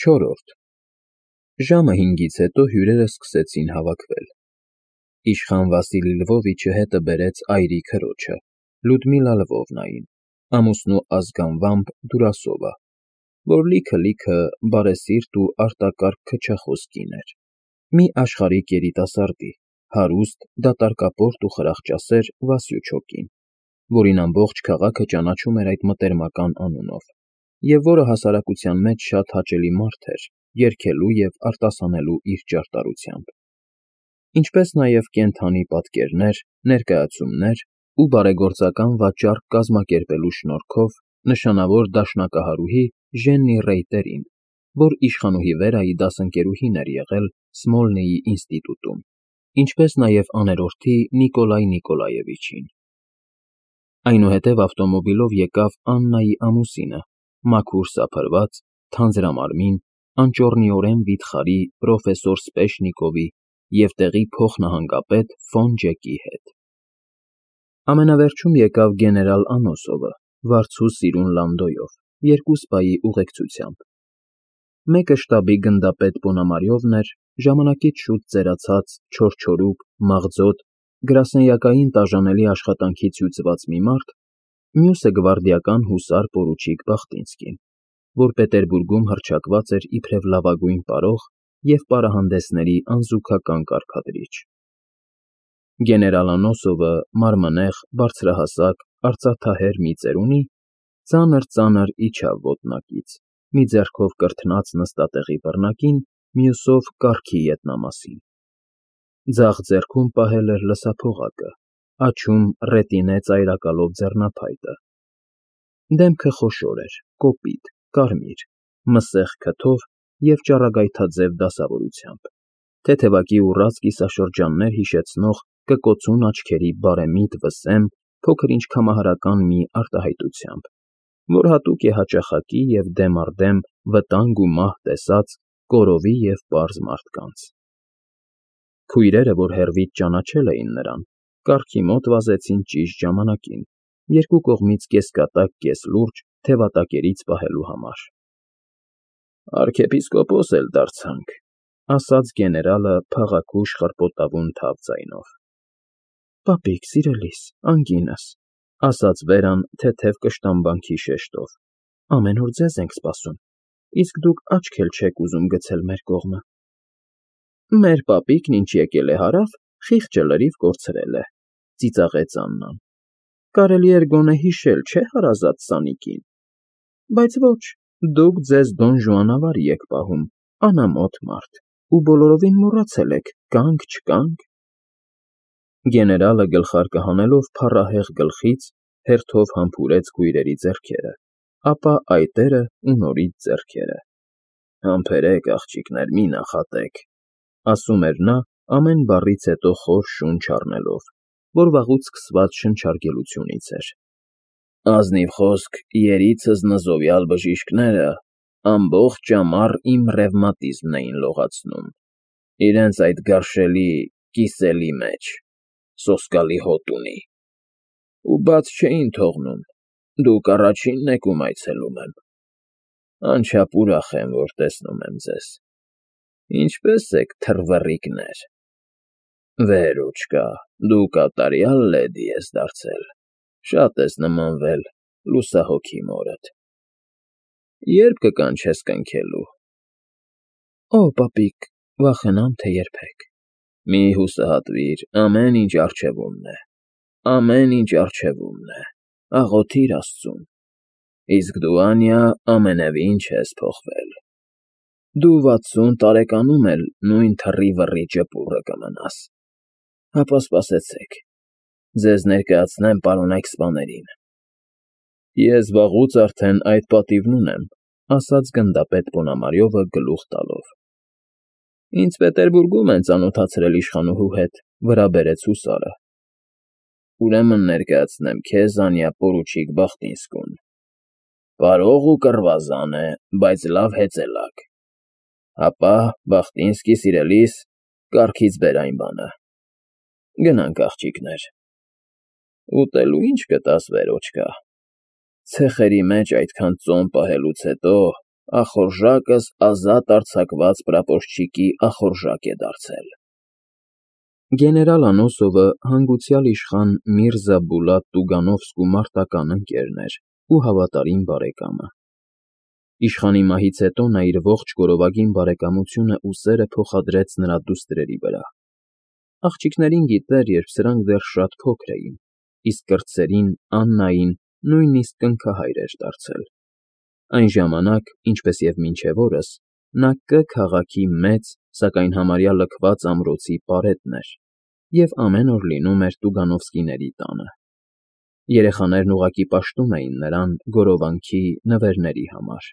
Չորրորդ Ժամը 5-ից հետո հյուրերը սկսեցին հավաքվել։ Իշխան Վասիլի Լվովիչը հետը բերեց այրի քրոջը, Լյուդմիլա Լվովնային, ամուսնու ազգանվամբ Դուրասովա, որ լիքը բարեսիրտ ու արտակարգ քչախոս կին էր, մի աշխարհիկ երիտասարդի, հարուստ, դատարկապորտ ու խրախճասեր Վասյուչոկին, որին ամբողջ քաղաքը ճանաչում էր այդ մտերմական անունով, և որը հասարակության մեջ շատ հաճելի մարդ էր, երգելու և արտասանելու իր ճարտարությամբ, ինչպես նաև կենդանի պատկերներ, ներկայացումներ ու բարեգործական վաճառք կազմակերպելու շնորհքով նշանավոր դաշնակահարուհի Ժեննի Ռեյտերին, որ իշխանուհի Վերայի դասընկերուհին էր եղել Սմոլնեյի ինստիտուտում, ինչպես նաև աներորդի Նիկոլայ Նիկոլաևիչին։ Այնուհետև ավտոմոբիլով եկավ Աննայի ամուսինը, մաքուր սափրված, թանձրամարմին, անճոռնիորեն վիթխարի պրոֆեսոր Սպեշնիկովի և տեղի փոխնահանգապետ ֆոն Ջեկի հետ։ Ամենավերջում եկավ գեներալ Անոսովը, վարձու սիրուն լանդոյով, երկու սպայի ուղեկցությամբ։ Մեկը շտաբի գնդապետ Պոնամարյովն էր, ժամանակից շուտ ծերացած, չորչորուկ, մաղձոտ, գրասենյակային տաժանելի աշխատանքից հյուծված մի մարդ, մյուսը գվարդիական հուսար պորուչիկ Բախտինսկին, որ Պետերբուրգում հռչակված էր իբրև լավագույն պարող և պարահանդեսների անզուգական կարգադրիչ։ Գեներալ Անոսովը մարմնեղ, բարձրահասակ, արծաթահեր մի ծերունի, ծանր իջավ ոտնակից, մի ձեռքով կրթնած նստատեղի բռնակին, մյուսով կառքի ետնամասին։ Ձախ ձեռքում պահել էր լսափողակը, աջում ռետինե ծայրակալով ձեռնափայտը։ Դեմքը խոշոր էր, կոպիտ, կարմիր, մսեղ քթով և ճառագայթաձև դասավորությամբ, թեթևակի ուռած կիսաշրջաններ հիշեցնող կկոցուն աչքերի բարեմիտ վսեմ փոքր-ինչ կամահարական մի արտահայտությամբ, որ հատուկ է հաճախակի և դեմ առ դեմ վտանգ ու մահ տեսած կորովի և պարզ մարդկանց։ Քույրերը, որ հեռվից ճանաչել էին նրան, կառքի մոտ վազեցին ճիշտ ժամանակին, երկու կողմից կեսկատակ, կեսլուրջ թևատակերից պահելու համար։ Արքեպիսկոպոս էլ դարձանք, ասաց գեներալը փաղաքուշ խռպոտավուն թավ ձայնով։ Պապիկ, սիրելիս, անգինս, ասաց Վերան թեթև կշտամբանքի շեշտով, ամեն օր ձեզ ենք սպասում, իսկ դուք աչք էլ չեք ուզում գցել մեր կողմը։ Մեր պապիկն ինչ եկել է հարավ, խիղճը լրիվ կորցրել է, ծիծաղեց Աննան։ Կարելի էր գոնե հիշել, չէ՞ հարազատ Սանիկին։ Բայց ոչ, դուք ձեզ Դոն Ժուանավարի եք պահում, անամոթ մարդ, ու բոլորովին մոռացել եք՝ կանք, չկանք։ Գեներալը գլխարկը հանելով փառահեղ գլխից հերթով համբուրեց քույրերի ձեռքերը, ապա այտերը ու նորից ձեռքերը։ Համբերեք, աղջիկներ, մի նախատեք, ասում էր նա ամեն բառից հետո խոր շունչ առնելով, որ վաղուց սկսված շնչարգելությունից էր։ Ազնիվ խոսք, երիցս նզովյալ բժիշկները ամբողջ ամառ իմ ռևմատիզմն էին լողացնում, իրենց այդ գարշելի կիսելի մեջ, սոսկալի հոտ ունի, ու բաց չէին թողնում, դուք առաջինն եք, ում այցելում եմ։ Անչափ ուրախ եմ, որ տեսնում եմ ձեզ։ Ինչպե՞ս եք, թռվռիկներ։ Վերուչկա, դու կատարյալ լեդի ես դարձել, շատ ես նմանվել լուսահոգի մորդ։ Ե՞րբ կկանչես կնքելու։ Օ, պապիկ, վախենամ, թե երբեք։ Մի հուսահատվիր, ամեն ինչ առջևումն է, ամեն ինչ առջևումն է, աղոթիր Աստծուն։ Իսկ դու, Անյա, ամենևին չես փոխվել։ Դու 60 տարեկանում էլ նույն թռի֊վռի ճպուռը կմնաս։ Հապա սպասեցեք, ձեզ ներկայացնեմ պարոնայք սպաներին։ Ես վաղուց արդեն այդ պատիվն ունեմ, ասաց գնդապետ Պոնամարյովը գլուխ տալով։ Ինձ Պետերբուրգում են ծանոթացրել իշխանուհու հետ, վրա բերեց հուսարը։ Ուրեմն ներկայացնեմ քեզ, Անյա, պորուչիկ Բախտինսկուն։ Պարող ու կռվազան է, բայց լավ հեծելակ։ Հապա, Բախտինսկի, սիրելիս, կառքից բեր այն բանը։ Գնանք, աղջիկներ։ Ուտելու ինչ կտաս, Վերոչկա։ Ցեխերի մեջ այդքան ծոմ պահելուց հետո ախորժակս ազատ արձակված պրապորչիկի ախորժակ է դարձել։ Գեներալ Անոսովը հանգուցյալ իշխան Միրզա Բուլատ Տուգանովսկու մարտական ընկերն էր ու հավատարիմ բարեկամը։ Իշխանի մահից հետո նա իր ողջ գորովագին բարեկամությունը ու սերը փոխադրեց նրա դուստրերի վրա։ Աղջիկներին գիտեր, երբ սրանք դեռ շատ փոքր էին, իսկ կրտսերին, Աննային, նույնիսկ կնքահայր էր դարձել։ Այն ժամանակ, ինչպես և մինչև օրս, նա Կ քաղաքի մեծ, սակայն համարյա լքված ամրոցի պարետն էր և ամեն օր լինում էր Տուգանովսկիների տանը։ Երեխաներն ուղղակի պաշտում էին նրան գորովանքի, նվերների համար,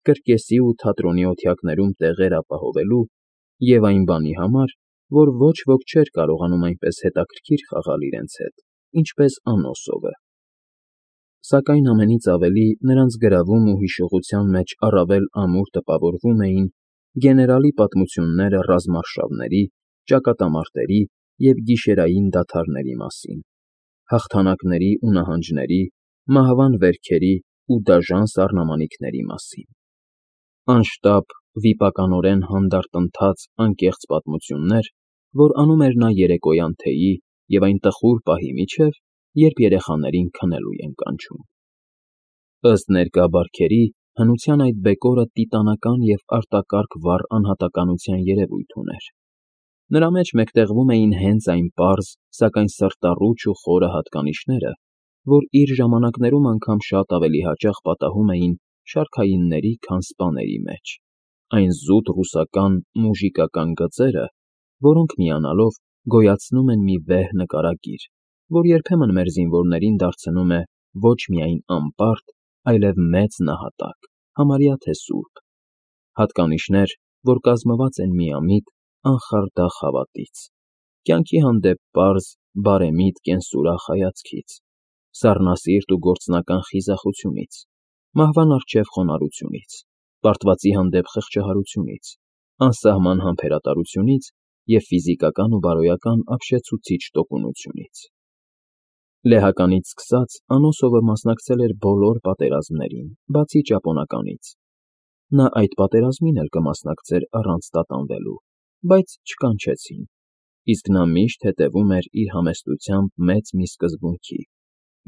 կրկեսի ու թատրոնի օթյակներում տեղեր ապահովելու և այն բանի համար, որ ոչ ոք չէր կարողանում այնպես հետաքրքիր խաղալ իրենց հետ, ինչպես Անոսովը։ Սակայն ամենից ավելի նրանց գրավում ու հիշողության մեջ առավել ամուր տպավորվում էին գեներալի պատմությունները ռազմարշավների, ճակատամարտերի և գիշերային դադարների մասին, հաղթանակների ու նահանջների, մահվան վերքերի ու դաժան սառնամանիքների մասին։ Անշտապ, վիպականորեն հանդարտ ընթաց անկեղծ պատմություններ, որ անում էր նա երեկոյան թեյի և այն տխուր պահի միջև, երբ երեխաներին քնելու են կանչում։ Ըստ ներկա բարքերի, հնության այդ բեկորը տիտանական և արտակարգ վառ անհատականության երևույթ ուներ։ Նրա մեջ մեկտեղվում էին հենց այն պարզ, սակայն սրտառուչ ու խորը հատկանիշները, որ իր ժամանակներում անգամ շատ ավելի հաճախ պատահում էին շարքայինների, քան սպաների մեջ, այն զուտ ռուսական մուժիկական գծերը, որոնք միանալով գոյացնում են մի վեհ նկարագիր, որ երբեմն մեր զինվորներին դարձնում է ոչ միայն անպարտ, այլև մեծ նահատակ, համարյա թե սուրբ, հատկանիշներ, որ կազմված են միամիտ, անխարդախ հավատից, կյանքի հանդեպ պարզ, բարեմիտ կենսուրախ հայացքից, սառնասիրտ ու գործնական խիզախությունից, մահվան առջև խոնարհությունից, պարտվածի հանդեպ խղճահարությունից, անսահման համբերատարությունից և ֆիզիկական ու բարոյական ապշեցուցիչ տոկունությունից։ Լեհականից սկսած Անոսովը մասնակցել էր բոլոր պատերազմներին, բացի ճապոնականից։ Նա այդ պատերազմին էլ կմասնակցեր առանց տատանվելու, բայց չկանչեցին, իսկ նա միշտ հետևում էր իր համեստությամբ մեծ մի սկզբունքի՝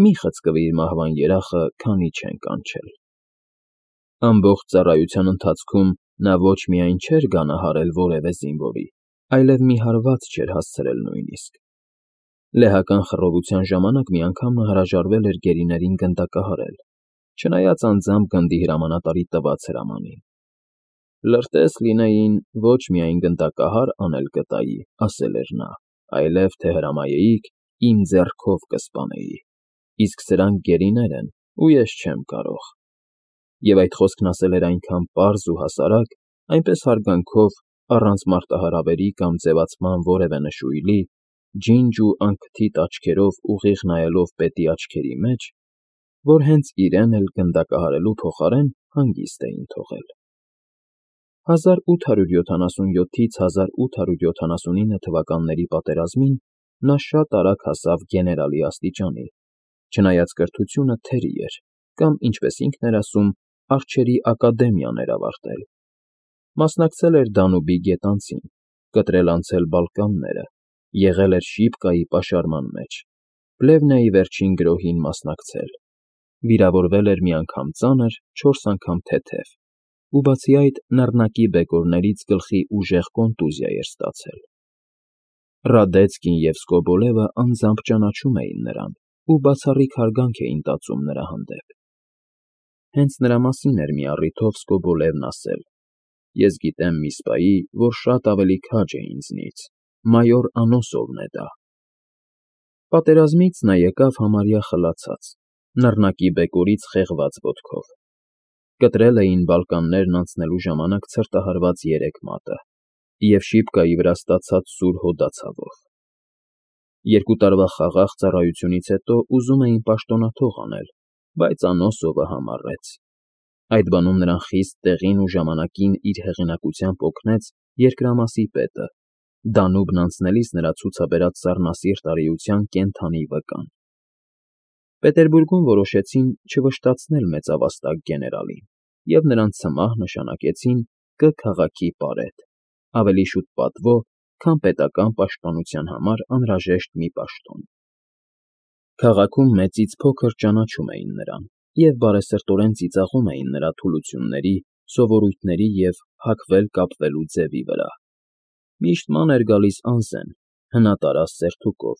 մի խցկվիր մահվան երախը, քանի չեն կանչել։ Ամբողջ ծառայության ընթացքում նա ոչ միայն չէր գանահարել որևէ զինվորի, այլև մի հարված չէր հասցրել նույնիսկ։ Լեհական խռովության ժամանակ մի անգամ նա հրաժարվել էր գերիներին գնդակահարել, չնայած անձամբ գնդի հրամանատարի տված հրամանին։ Լրտես լինեին, ոչ միայն գնդակահար անել կտայի, ասել էր նա, այլև թե հրամայեիք, իմ ձեռքով կսպանեի, իսկ սրանք գերիներ են, ու ես չեմ կարող։ Եվ այդ խոսքն ասել էր այնքան պարզ ու հասարակ, այնպես հարգանքով, առանց մարտահրավերի կամ ձևացման որևէ նշույլի, ջինջ ու անքթիթ աչքերով ուղիղ նայելով պետի աչքերի մեջ, որ հենց իրեն էլ գնդակահարելու փոխարեն հանգիստ էին թողել։ 1877-ից 1879 թվականների պատերազմին նա շատ արագ հասավ գեներալի աստիճանի, չնայած կրթությունը թերի էր, կամ, ինչպես ինքն էր ասում, արջերի ակադեմիան էր ավարտել։ Մասնակցել էր Դանուբի գետանցին, կտրել անցել Բալկանները, եղել էր Շիպկայի պաշարման մեջ, Պլևնայի վերջին գրոհին մասնակցել, վիրավորվել էր մի անգամ ծանր, 4 անգամ թեթև, ու բացի այդ նռնակի բեկորներից գլխի ուժեղ կոնտուզիա էր ստացել։ Ռադեցկին և Սկոբոլևը անձամբ ճանաչում էին նրան ու բացառիկ հարգանք էին տածում նրա հանդեպ։ Հենց նրա մասին էր մի առիթով Սկոբոլևն ասել. «Ես գիտեմ մի սպայի, որ շատ ավելի քաջ է ինձնից, մայոր Անոսովն է դա»։ Պատերազմից նա եկավ համարյա խլացած, նռնակի բեկորից խեղված ոտքով։ Կտրել էին Բալկաններն անցնելու ժամանակ ցրտահարված 3 մատը և Շիպկայի վրա ստացած սուր հոդացավով։ 2 տարվա խաղաղ ծառայությունից հետո ուզում էին պաշտոնաթող անել, բայց Անոսովը համառեց։ Այդ բանում նրան խիստ տեղին ու ժամանակին իր հեղինակությամբ օգնեց երկրամասի պետը, Դանուբն անցնելիս նրա ցուցաբերած սառնասիրտ արիության կենդանի վկան։ Պետերբուրգում որոշեցին չվշտացնել մեծավաստակ գեներալին, և նրանց ցմահ նշանակեցին Կ քաղաքի պարետ, ավելի շուտ պատվո, քան պետական պաշտպանության համար անհրաժեշտ մի պաշտոն։ Քաղաքում մեծից փոքր ճանաչում էին նրան և բարեսրտորեն ծիծաղում էին նրա թուլությունների, սովորույթների և հագվել֊կապվելու ձևի վրա։ Միշտ ման էր գալիս անզեն, հնատարած սերթուկով,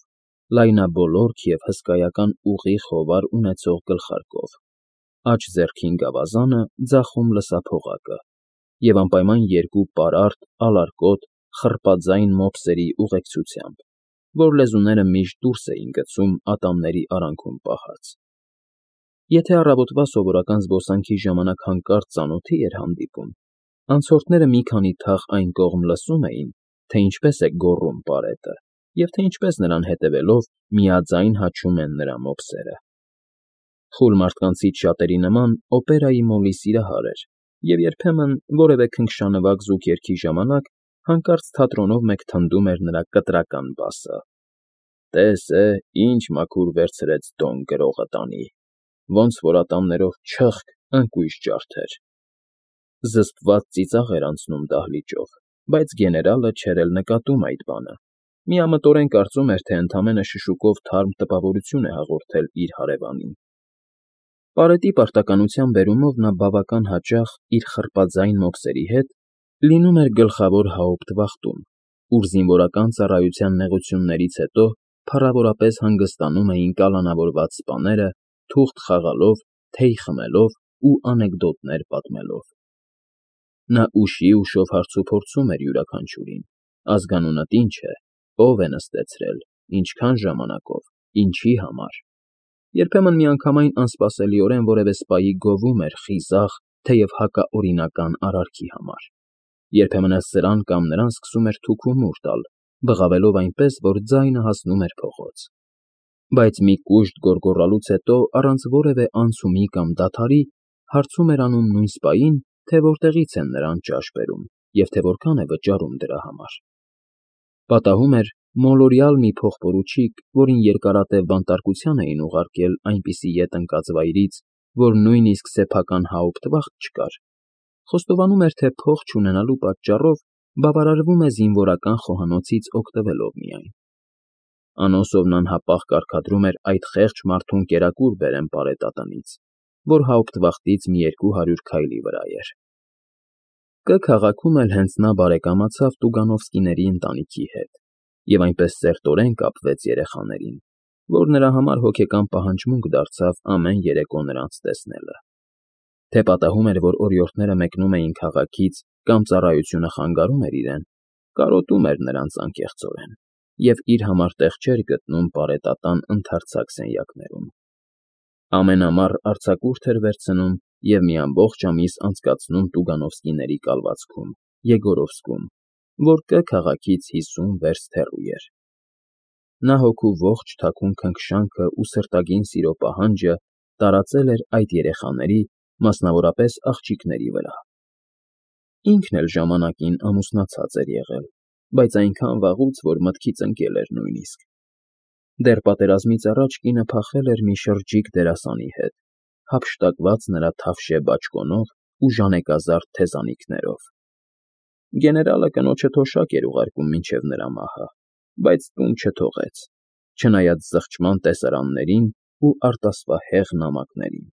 լայնաբոլորք և հսկայական ուղիղ հովար ունեցող գլխարկով, աջ ձեռքին գավազանը, ձախում լսափողակը, և անպայման երկու պարարտ, ալարկոտ, խռպաձայն մոպսերի ուղեկցությամբ, որ լեզուները միշտ դուրս էին գցում ատամների արանքում պահած։ Եթե առավոտվա սովորական զբոսանքի ժամանակ հանկարծ ծանոթի էր հանդիպում, անցորդները մի քանի թաղ այն կողմ լսում էին, թե ինչպես է գոռում պարետը, և թե ինչպես նրան հետևելով միաձայն հաչում են նրա մոպսերը։ Խուլ մարդկանցից շատերի նման օպերայի մոլի սիրահար էր և երբեմն որևէ քնքշանվակ զուգերգի ժամանակ հանկարծ թատրոնով մեկ թնդում էր նրա կտրական բասը. «Տես ինչ մաքուր վերցրեց Դոն գրողը տանի, ոնց որ ատամներով չըխկ ընկույզ ջարդեր»։ Զսպված ծիծաղ էր անցնում դահլիճով, բայց գեներալը չէր էլ նկատում այդ բանը, միամտորեն կարծում էր, թե ընդամենը շշուկով թարմ տպավորություն է հաղորդել իր հարևանին։ Պարետի պարտականության բերումով նա բավական հաճախ իր խռպաձայն մոպսերի հետ լինում էր գլխավոր հաուպտվախտում, ուր զինվորական ծառայության նեղություններից հետո փառավորապես հանգստանում էին կալանավորված սպաները, թուղթ խաղալով, թեյ խմելով ու անեկդոտներ պատմելով։ Նա ուշի֊ուշով հարցուփորձում էր յուրաքանչյուրին. ազգանունդ ինչ է, ով է նստեցրել, ինչքան ժամանակով, ինչի համար։ Երբեմն միանգամայն անսպասելիորեն որևէ սպայի գովում էր խիզախ, թեև հակաօրինական արարքի համար։ Երբեմն էլ սրան կամ նրան սկսում էր թուքումուր տալ, բղավելով այնպես, որ ձայնը հասնում էր փողոց։ Բայց մի կուշտ գոռգոռալուց հետո, առանց որևէ անցումի կամ դադարի, հարցում էր անում նույն սպային, թե որտեղից են նրան ճաշ բերում և թե որքան է վճարում դրա համար։ Պատահում էր մոլորյալ մի փողպորուչիկ, որին երկարատև բանտարկության էին ուղարկել այնպիսի ետ ընկած վայրից, որ նույնիսկ սեփական հաուպտվախտ չկար, խոստովանում էր, թե փող չունենալու պատճառով բավարարվում է զինվորական խոհանոցից օգտվելով միայն։ Անոսովն անհապաղ կարգադրում էր այդ խեղճ մարդուն կերակուր բերեն պարետատնից, որ հաուպտվախտից մի 200 քայլի վրա էր։ Կ քաղաքում էլ հենց նա բարեկամացավ Տուգանովսկիների ընտանիքի հետ և այնպես սերտորեն կապվեց երեխաներին, որ նրա համար հոգեկան պահանջմունք դարձավ ամեն երեկո նրանց տեսնելը։ Թե պատահում էր, որ օրիորդները մեկնում էին քաղաքից կամ ծառայությունը խանգարում էր իրեն, կարոտում էր նրանց անկեղծորեն և իր համար տեղ չէր գտնում պարետատան ընդարձակ սենյակներում։ Ամենամառ արձակուրդ էր վերցնում և մի ամբողջ ամիս անցկացնում Տուգանովսկիների կալվածքում, Եգորովսկում, որ Կ քաղաքից 50 վերստ հեռու էր։ Նա հոգու ողջ թաքուն քնքշանքն ու սրտագին սիրո պահանջը տարածել էր այդ երեխաների, մասնավորապես աղջիկների վրա։ Ինքն էլ ժամանակին ամուսնացած էր եղել, բայց այնքան վաղուց, որ մտքից ընկել էր նույնիսկ։ Դեռ պատերազմից առաջ կինը փախել էր մի շրջիկ դերասանի հետ, հափշտակված նրա թավշե բաճկոնով ու ժանեկազարդ թեզանիքներով։ Գեներալը կնոջը թոշակ էր ուղարկում մինչև նրա մահը, բայց տուն չթողեց, չնայած զղջման տեսարաններին ու արտասվահեղ նամակներին,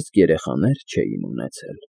իսկ երեխաներ չէին ունեցել։